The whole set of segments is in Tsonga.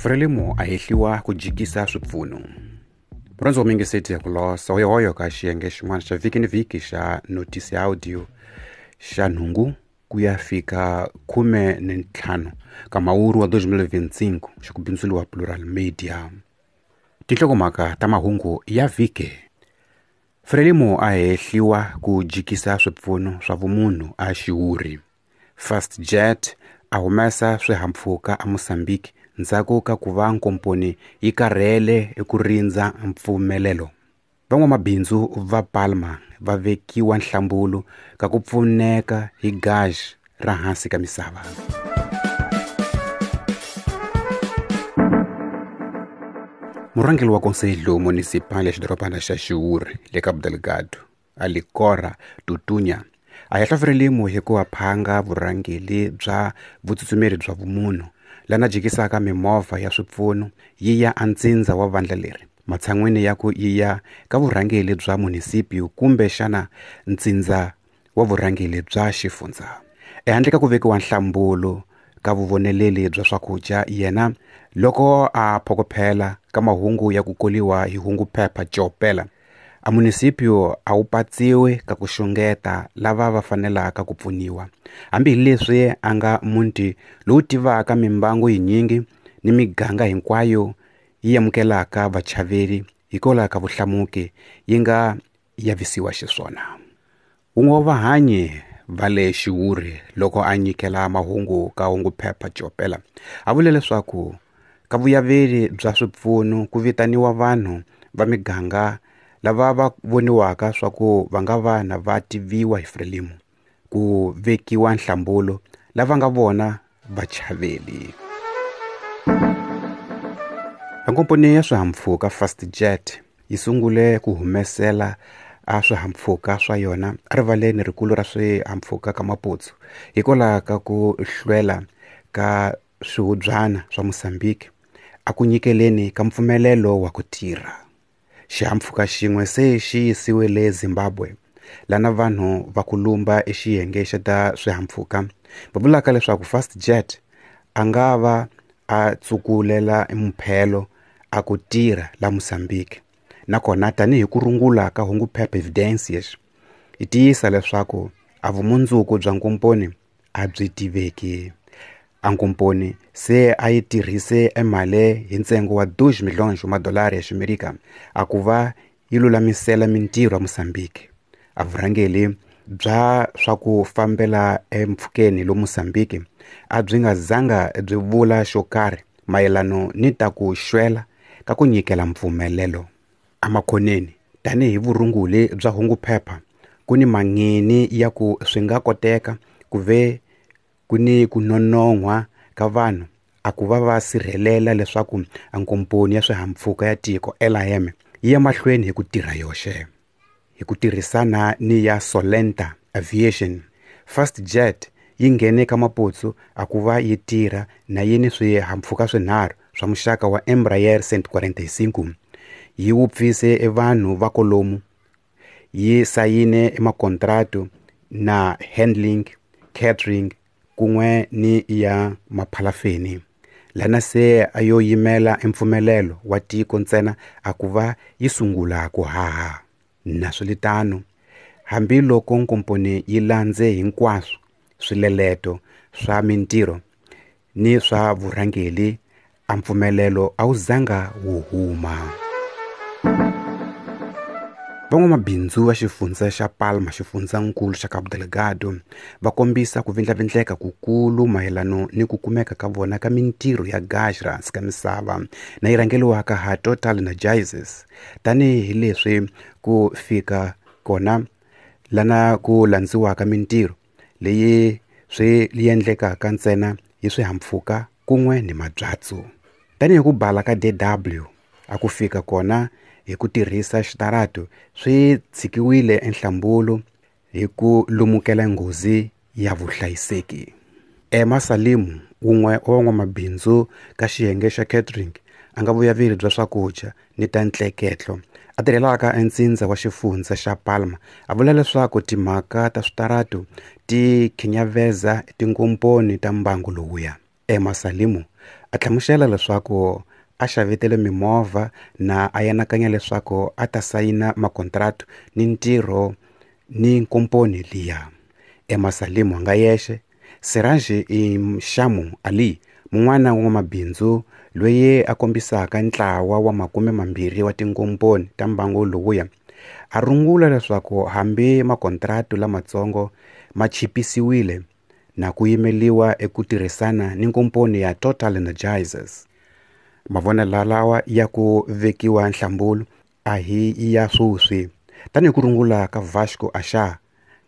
Frelimo a hehliwa ku jikisa swipfuno. Murhandzi wa mingiseti ya ku losa hoyohoyo ka xiyenge xin'wana xa vhiki ni vhiki xa Notice ya Audio xa nhungu ku ya fika 15 ka Mhawuri wa 2025 xa ku bindzuriwa Plural Media. Tinhlokomhaka ta mahungu ya vhiki. Frelimo a hehliwa ku jikisa swipfuno swa vumunhu a xiwuri. Fastjet a humesa swihahampfhuka eMozambique ndzhaku ka ku va nkomponi yi karhele eku rindza mpfumelelo. Van'wamabindzu va Palma va vekiwa nhlambulo ka ku pfuneka hi gasi ra hansi ka misava. Murhangeri wa Conselho Municipal ya xidorobana xa Xiwuri le Cabo Delgado, Alicora Tutunya, a hehla Frelimo hi ku phanga vurhangeri bya vutsutsumeri bya vumunhu lana jikisaka mimovha ya swipfuno yi ya antsindza wa vandla leri matshan'wini ya ku yi ya ka vurhangeri bya munisipio kumbe xana ntsindza wa vurhangeri bya xifundza. Ehandle ka ku vekiwa nhlambulo ka vuvoneleli bya swakudya yena loko a phokophela ka mahungu ya ku koliwa hi hunguphepha Jopela, a munisipio a wu patsiwi ka ku xungeta lava va fanelaka ku pfuniwa hambileswi a nga muti lowu tivaka mimbangu yinyingi ni miganga hinkwayo yi amukelaka vachaveri hikwalaho ka vuhlamuki yi nga yavisiwa xiswona. Wun'we wa vahanyi va le Xiwuri loko a nyikela mahungu ka hunguphepha Jopela a vule leswaku ka vuyaveri bya swipfuno ku vitaniwa vanhu va miganga lava va voniwaka swa ku va nga vana va tiviwa hi Frelimo ku vekiwa nhlambulo lava nga vona vachaveli. Nkomponi ya swihahampfhuka Fastjet yi sungule ku humesela a swihahampfhuka swa yona erivaleni rikulu ra swihahampfhuka ka Maputo hikwalaho ka ku hlwela ka swihubyana swa Mozambique a ku nyikeleni ka mpfumelelo wa ku tirha. Xihahampfhuka xin'we se xi yisiwe le Zimbabwe lana vanhu va ku lumba exiyenge xa ta swihahampfhuka va vulaka leswaku Fastjet a nga va a tsukulela muphelo a ku tirha la Mozambique nakona tanihi ku rungula ka hunguphepha Evidencias yi tiyisa leswaku a vumundzuku bya nkomponi a byi tiveki. A nkomponi se a yi tirhise emali hi ntsengo wa 2 milhões wa madolari ya Ximerika a ku va yi lulamisela mintirho ya Mozambique. A vurhangeri bya swa ku fambela empfhukeni lo Mozambique a byi nga zanga byi vula xo karhi mayelano ni ta ku xwela ka ku nyikela mpfumelelo. Emakhoneni tanihi vurunguli bya hunguphepha ku ni mangeni ya ku swi nga koteka ku ve ku ni ku nonon'hwa ka vanhu a ku va va sirhelela leswaku nkomponi ya swihahampfhuka ya tiko LIM yi ya mahlweni hi ku tirha yoxe. Hi ku tirhisana ni ya Solenta Aviation, Fastjet yi nghene ka Maputo a ku va yi tirha na yi ni swihahampfhuka swinharhu swa muxaka wa Embraer 145. Yi wupfise evanhu va kolomu, yi sayine emakontratu na handling, catering kun'we ni ya maphalafeni. Lana se a yo yimela empfumelelo wa tiko ntsena a ku va yi sungula ku haha. Naswilitano, hambiloko nkomponi yi landze hinkwaswo swileleto swa mintirho ni swa vurhangeri, a mpfumelelo a wu zanga wu huma. Van'wamabindzu va xifundza xa Palma xifundzankulu xa Cabo Delgado va kombisa ku vindlavindleka kukulu mayelano ni ku kumeka ka vona ka mintirho ya gasi ra hansi ka misava na yi rhangeriwaka ha Total Energies tanihi leswi ku fika kona lana ku landziwaka mintirho leyi swi endlekaka ntsena hi swihahampfhuka kun'we ni mabyatso. Tanihi ku bala ka DW a ku fika kona hi ku tirhisa xitarato swi tshikiwile enhlambulo hi ku lumukela nghozi ya vuhlayiseki. Emma Salimu wun'we wa van'wamabindzu ka xiyenge xa catering a nga vuyaveri bya swakudya ni ta ntleketlo a tirhelaka entsindza wa xifundza xa Palma a vula leswaku timhaka ta switarato ti khinyaveza tinkomponi ta mbangu lowuya. Emma Salimu A hlamusela leswaku a xavetele mimovha na a anakanya leswaku a ta sayina makontratu ni ntirho ni nkomponi liya. Emasalim nga yexe, Siraj Imshamu Ali, mun'wana wa n'wamabindzu loyi a kombisaka ntlawa wa 20 wa tinkomponi ta mbangu lowuya, a rungula leswaku hambi makontratu lamatsongo ma chipisiwile na ku yimeliwa eku tirhisana ni nkomponi ya Total Energies. Mavonelo lawa ya ku vekiwa nhlambulo a hi ya sweswi. Tanihi ku rungula ka Vasco Asha,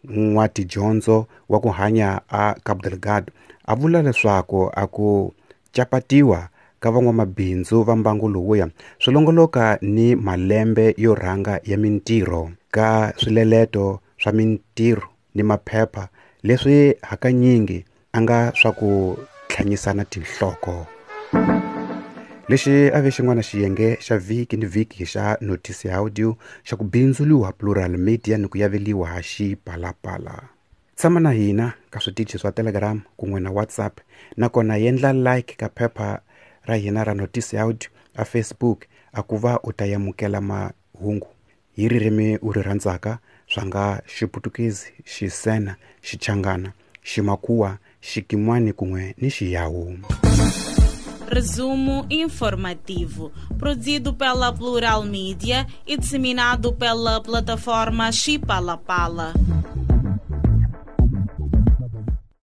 n'watidyondzo wa ku hanya a Cabo Delgado, a vula leswaku a ku capatiwa ka van'wamabindzu va mbangu lowuya swi longoloka ni malembe yo rhanga ya mintirho ka swileleto swa mintirho ni maphepha leswi hakanyingi a nga swa ku tlhanyisana tinhloko. Lexi a ve xin'wana xiyenge xa vhiki ni vhiki xa Notice Audio xa ku bindzuliwa Plural Media ni ku yaveliwa Xipalapala. Tshama na hina ka switichi swa Telegram kun'we na WhatsApp, nakona yendla like ka phepha ra hina ra Notice Audio a Facebook a ku va u ta yamukela mahungu hi ririmi u ri rhandzaka swa nga Xiputukezi, Xisena, Xichangana, Ximakhuwa, Xikimwani kun'we ni Xiyawu. Resumo informativo, produzido pela Plural Mídia e disseminado pela plataforma Xipalapala.